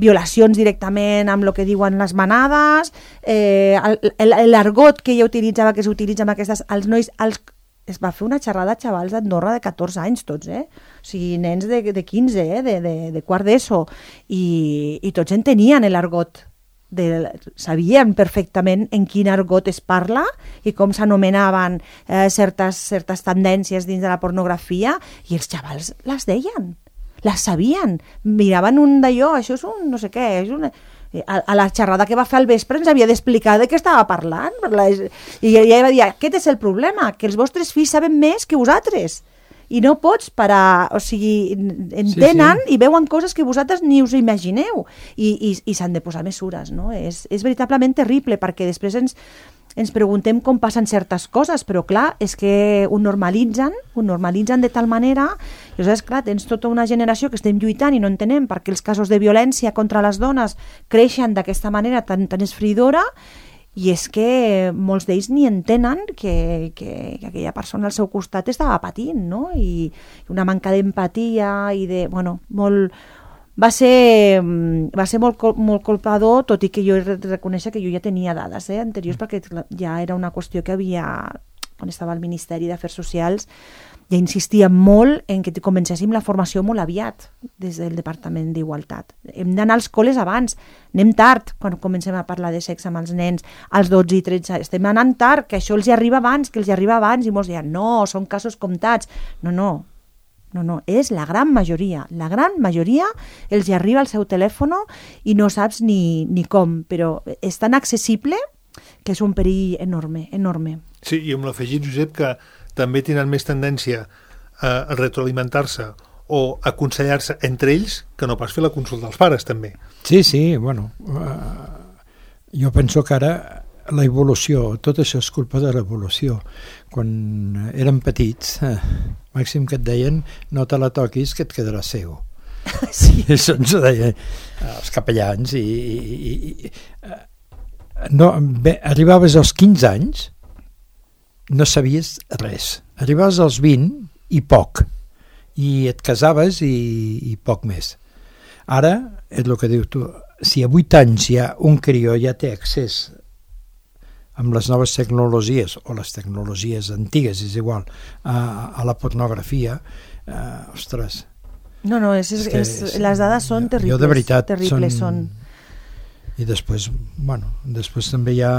violacions directament amb el que diuen les manades, l'argot que ella utilitzava, que s'utilitza amb aquestes... Els nois... Es va fer una xerrada a xavals d'Andorra de 14 anys tots, o sigui, nens de 15, de quart d'ESO, i tots entenien l'argot. Sabien perfectament en quin argot es parla i com s'anomenaven certes tendències dins de la pornografia, i els xavals les deien, les sabien, miraven un d'allò, això és un no sé què, és una... A la xerrada que va fer al vespre ens havia d'explicar de què estava parlant, i ella va dir, aquest és el problema, que els vostres fills saben més que vosaltres i no pots parar, o sigui, entenen i veuen coses que vosaltres ni us imagineu, i s'han de posar mesures, no? És veritablement terrible, perquè després ens preguntem com passen certes coses, però clar, és que ho normalitzen de tal manera, i llavors, clar, tens tota una generació que estem lluitant i no entenem perquè els casos de violència contra les dones creixen d'aquesta manera tan esfridora, i és que molts d'ells ni entenen que aquella persona al seu costat estava patint, no? I una manca d'empatia i de... Bueno, molt... Va ser molt colpador, tot i que jo he de reconèixer que jo ja tenia dades anteriors, perquè ja era una qüestió que havia, quan estava al Ministeri d'Afers Socials, ja insistia molt en que comencéssim la formació molt aviat des del Departament d'Igualtat. Hem d'anar als col·les abans, anem tard quan comencem a parlar de sexe amb els nens als 12 i 13 anys, estem anant tard, que això els hi arriba abans, i molts diuen, no, són casos comptats. No, és la gran majoria els hi arriba al seu telèfon i no saps ni com, però és tan accessible que és un perill enorme. Sí, i amb l'afegit, Josep, que també tenen més tendència a retroalimentar-se o aconsellar-se entre ells que no pas fer la consulta dels pares, també. Sí, bueno, jo penso que ara la evolució, tot això és culpa de l'evolució. Quan érem petits, màxim que et deien no te la toquis que et quedaràs cego. Sí. Això ens ho deien els capellans no, arribaves als 15 anys, no sabies res. Arribaves als 20 i poc, i et casaves i poc més. Ara, és el que dius tu, si a 8 anys ja un crió ja té accés amb les noves tecnologies o les tecnologies antigues, és igual, a la pornografia, ostres. No, les dades són terribles. Jo de veritat són. I després, bueno, després també hi ha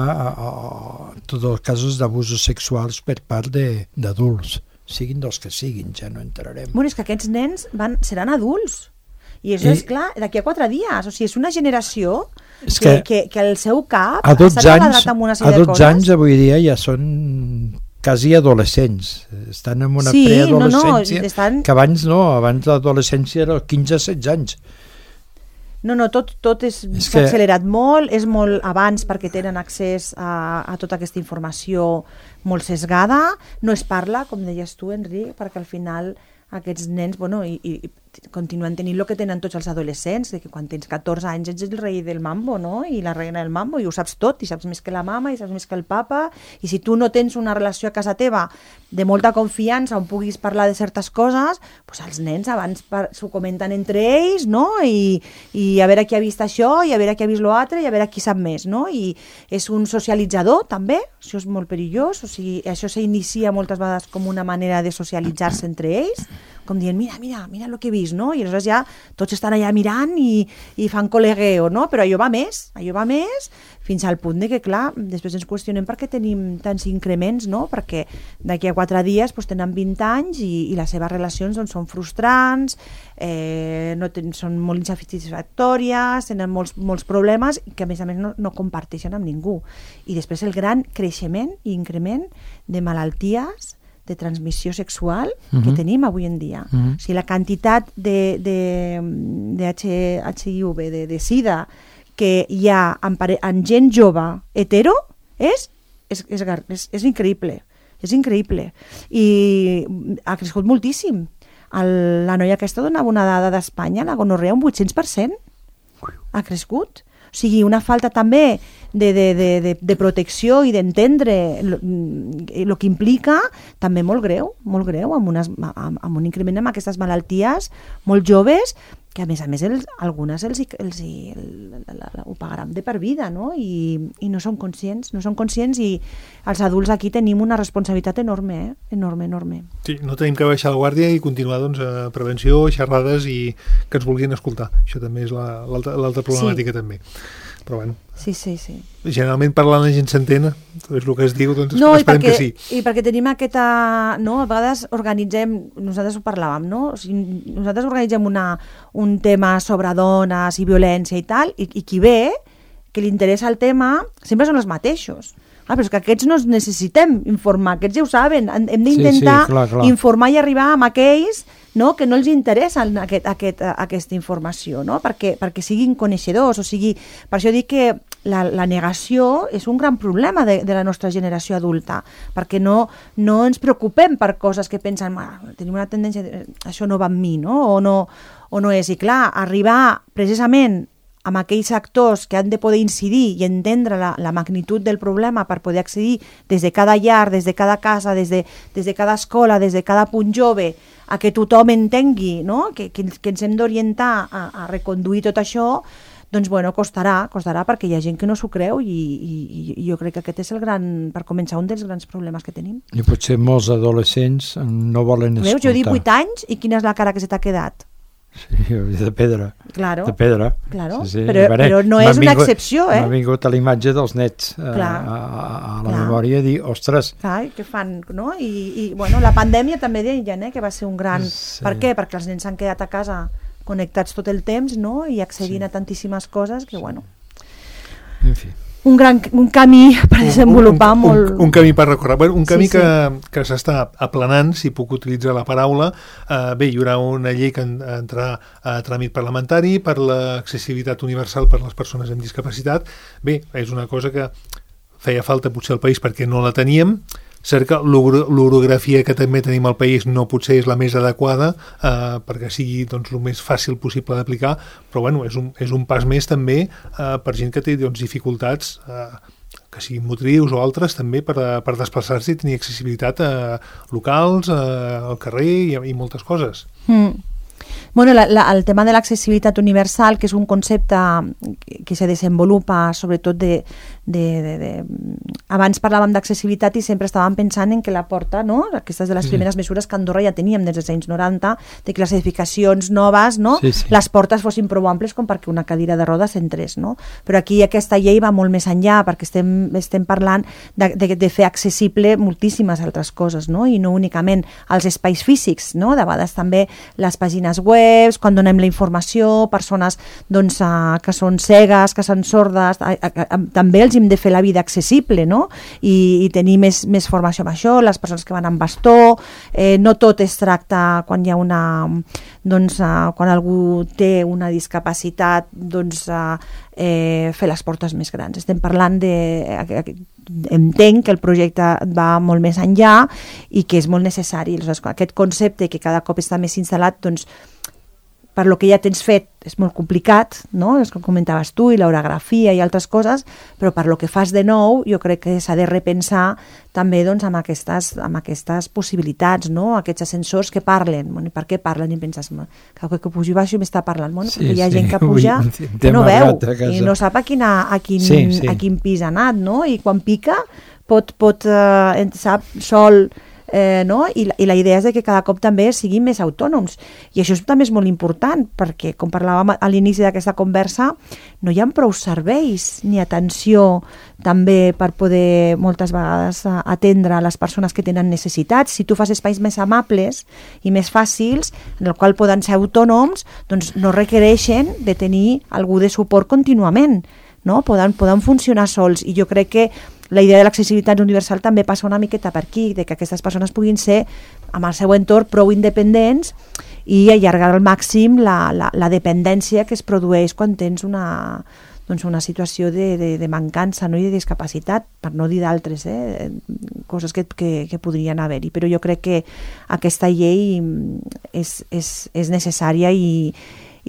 tots els casos d'abusos sexuals per part d'adults, siguin dels que siguin, ja no entrarem. Bueno, és que aquests nens seran adults. I això és clar, d'aquí a 4 dies. O sigui, és una generació que el seu cap s'ha quadrat amb una sèrie de coses. A 12 anys avui dia ja són quasi adolescents. Estan en una preadolescència que abans l'adolescència era 15-16 anys. No, tot s'ha accelerat molt, és molt abans perquè tenen accés a tota aquesta informació molt sesgada, no es parla, com deies tu, Enric, perquè al final aquests nens, bueno, i continuen tenint el que tenen tots els adolescents, que quan tens 14 anys ets el rei del mambo, no? I la reina del mambo, i ho saps tot, i saps més que la mama, i saps més que el papa, i si tu no tens una relació a casa teva de molta confiança on puguis parlar de certes coses, doncs els nens abans s'ho comenten entre ells, no? I a veure qui ha vist això, i a veure qui ha vist l'altre, i a veure qui sap més, no? I és un socialitzador, també, això és molt perillós, o sigui, això s'inicia moltes vegades com una manera de socialitzar-se entre ells, com dient, mira el que he vist, no? I aleshores ja tots estan allà mirant i fan col·legueo, no? Però allò va més, fins al punt de que, clar, després ens qüestionem per què tenim tants increments, no? Perquè d'aquí a 4 dies tenen 20 anys i les seves relacions són frustrants, són molt insatisfactòries, tenen molts problemes que a més no comparteixen amb ningú. I després el gran creixement i increment de malalties de transmissió sexual que tenim avui en dia. O sigui, la quantitat de HIV, de SIDA, que hi ha en gent jove hetero és increïble. És increïble. I ha crescut moltíssim. La noia aquesta donava una dada d'Espanya, la gonorrea, un 800%. Ha crescut. O sigui, una falta també de protecció i d'entendre el que implica, també molt greu, amb un increment amb aquestes malalties molt joves, que a més algunes ho pagaran de per vida, no? I no són conscients, i els adults aquí tenim una responsabilitat enorme, enorme. Sí, no tenim que baixar la guàrdia i continuar a prevenció, xerrades i que ens vulguin escoltar. Això també és l'altra problemàtica també. Però bueno. Sí. Generalment parlant la gent s'entén, és el que es diu, doncs esperem que sí. I perquè tenim aquesta... No? A vegades organitzem, nosaltres ho parlàvem, no? O sigui, nosaltres organitzem un tema sobre dones i violència i tal, i qui ve, que li interessa el tema, sempre són els mateixos. Però és que aquests no necessitem informar, aquests ja ho saben, hem d'intentar informar i arribar amb aquells, no, que no els interessa aquesta informació, no? perquè siguin coneixedors, per això dic que la negació és un gran problema de la nostra generació adulta, perquè no ens preocupem per coses que pensen, tenim una tendència, això no va amb mi, no? O no és, i clar, arribar precisament amb aquells actors que han de poder incidir i entendre la magnitud del problema per poder accedir des de cada llar, des de cada casa, des de cada escola, des de cada punt jove, a que tothom entengui, no? que ens hem d'orientar a reconduir tot això, doncs bueno, costarà perquè hi ha gent que no s'ho creu i jo crec que aquest és per començar, un dels grans problemes que tenim. I potser molts adolescents no volen escoltar. Veus, jo dic 8 anys i quina és la cara que se t'ha quedat? Sí, de pedra. Claro. De pedra. Claro. Sí. Però no és una excepció, M'ha vingut a la imatge dels nets a la memòria dir, ostres... Clar, què fan, no? I bueno, la pandèmia també deien, que va ser un gran... Sí. Per què? Perquè els nens s'han quedat a casa connectats tot el temps, no? I accedint a tantíssimes coses que, bueno... En fi... Un camí per desenvolupar molt... Un camí per recórrer. Un camí que s'està aplanant, si puc utilitzar la paraula. Bé, hi haurà una llei que entrarà a tràmit parlamentari per l'accessibilitat universal per a les persones amb discapacitat. Bé, és una cosa que feia falta potser al país perquè no la teníem. Cert que l'orografia que també tenim al país no potser és la més adequada perquè sigui el més fàcil possible d'aplicar, però bueno, és un pas més també per gent que té dificultats que siguin motrius o altres també per desplaçar-se i tenir accessibilitat a locals, al carrer i moltes coses. Bueno, el tema de l'accessibilitat universal, que és un concepte que se desenvolupa sobretot abans parlàvem d'accessibilitat i sempre estàvem pensant en que la porta, no? Aquestes de les primeres mesures que a Andorra ja teníem des dels anys 90, de que les edificacions noves, no? Les portes fossin prou amples com perquè una cadira de rodes entrés, no? Però aquí aquesta llei va molt més enllà perquè estem parlant de fer accessible moltíssimes altres coses, no? I no únicament els espais físics, no? De vegades també les pàgines web, quan donem la informació, persones doncs, que són cegues, que són sordes, també els hem de fer la vida accessible, no? I tenir més formació amb això, les persones que van amb bastó, no tot es tracta quan hi ha quan algú té una discapacitat, doncs fer les portes més grans. Estem parlant entenc que el projecte va molt més enllà i que és molt necessari. Aquest concepte que cada cop està més instal·lat, doncs per lo que ja tens fet és molt complicat, no? És com comentaves tu, i l'orografia i altres coses, però per lo que fas de nou jo crec que s'ha de repensar també doncs, amb aquestes possibilitats, no? Aquests ascensors que parlen. Bueno, i per què parlen? I penses, que pujo i baixo i m'està parlant. Bueno, perquè hi ha gent que puja que no veu i no sap a quin pis ha anat, no? I quan pica sap sol no? I la idea és de que cada cop també siguin més autònoms. I això també és molt important, perquè, com parlàvem a l'inici d'aquesta conversa, no hi ha prou serveis ni atenció també per poder moltes vegades atendre les persones que tenen necessitats. Si tu fas espais més amables i més fàcils, en el qual poden ser autònoms, doncs no requereixen de tenir algú de suport contínuament, no? Poden funcionar sols, i jo crec que la idea de l'accessibilitat universal també passa una miqueta per aquí, de que aquestes persones puguin ser amb el seu entorn prou independents i allargar al màxim la dependència que es produeix quan tens una situació de mancança, no? I de discapacitat, per no dir d'altres coses que podrien haver-hi. Però jo crec que aquesta llei és necessària i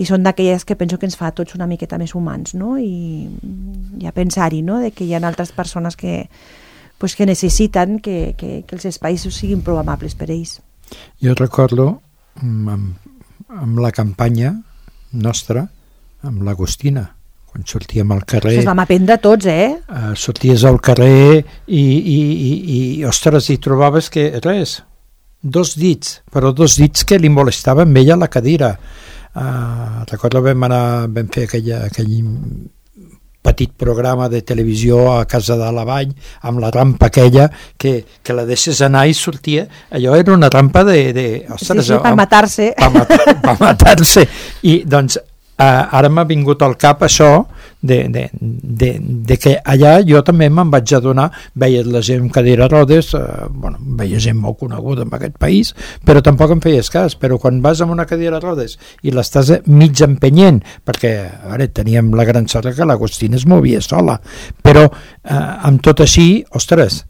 són d'aquelles que penso que ens fa a tots una miqueta més humans, no? I a pensar-hi, no? De que hi ha altres persones que necessiten que els espais siguin prou amables per ells. Jo recordo amb la campanya nostra, amb l'Agostina, quan sortíem al carrer... Això es vam aprendre tots, sorties al carrer i ostres, hi trobaves que res, 2 dits, però 2 dits que li molestaven a ella la cadira. Recordo vam fer aquell petit programa de televisió a Casa de la Vall amb la rampa aquella que la deixes anar i sortia, allò era una rampa ostres, sí, per matar-se per matar-se, i doncs ara m'ha vingut al cap això de que allà jo també me'n vaig adonar, veies la gent amb cadira de rodes, veies gent molt coneguda en aquest país, però tampoc em feies cas. Però quan vas amb una cadira de rodes i l'estàs mig empenyent, perquè ara teníem la gran sort que l'Agostina es movia sola, però amb tot així, ostres,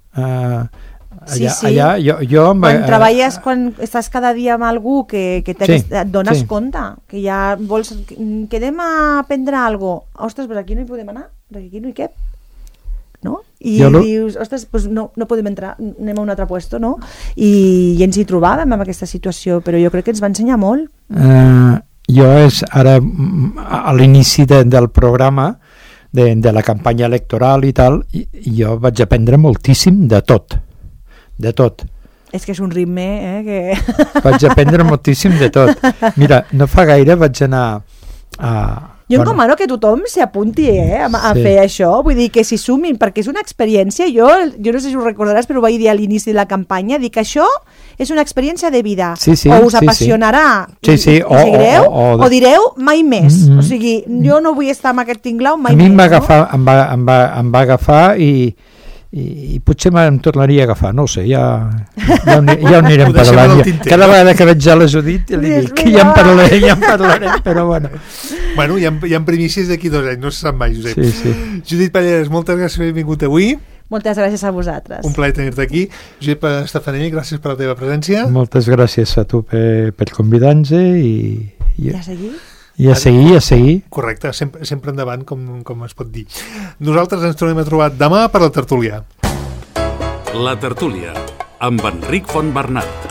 allà jo quan estàs cada dia amb algú que et dones compte que ja vols, quedem a prendre alguna cosa, ostres, però aquí no hi podem anar, perquè aquí no hi cap, no? I dius, ostres, doncs no podem entrar, anem a un altre puesto, no? I ens hi trobàvem en aquesta situació, però jo crec que ens va ensenyar molt. Jo ara a l'inici del programa de la campanya electoral i tal, jo vaig aprendre moltíssim de tot. És que és un ritme que... Vaig aprendre moltíssim de tot. Mira, no fa gaire vaig anar a... Jo encomano que tothom s'hi apunti a fer això, vull dir que s'hi sumin, perquè és una experiència, jo no sé si ho recordaràs, però ho vaig dir a l'inici de la campanya, dic que això és una experiència de vida, o us apassionarà i seguireu, o direu mai més, o sigui, jo no vull estar amb aquest tinglau mai més. A mi em va agafar i potser em tornaria a agafar, no ho sé, ja ho anirem parlant. Cada vegada que veig a la Judit li dic que ja en parlarem, però bueno. Bueno, hi ha primícies d'aquí 2 anys, no se sap mai, Josep. Sí. Judit Palleras, moltes gràcies per haver vingut avui. Moltes gràcies a vosaltres. Un plaer tenir-te aquí. Josep Estefanell, gràcies per la teva presència. Moltes gràcies a tu per convidar-nos i a seguir. I a seguir. Correcte, sempre endavant, com es pot dir. Nosaltres ens tornem a trobar demà per la tertúlia. La tertúlia, amb Enric Fontbernat.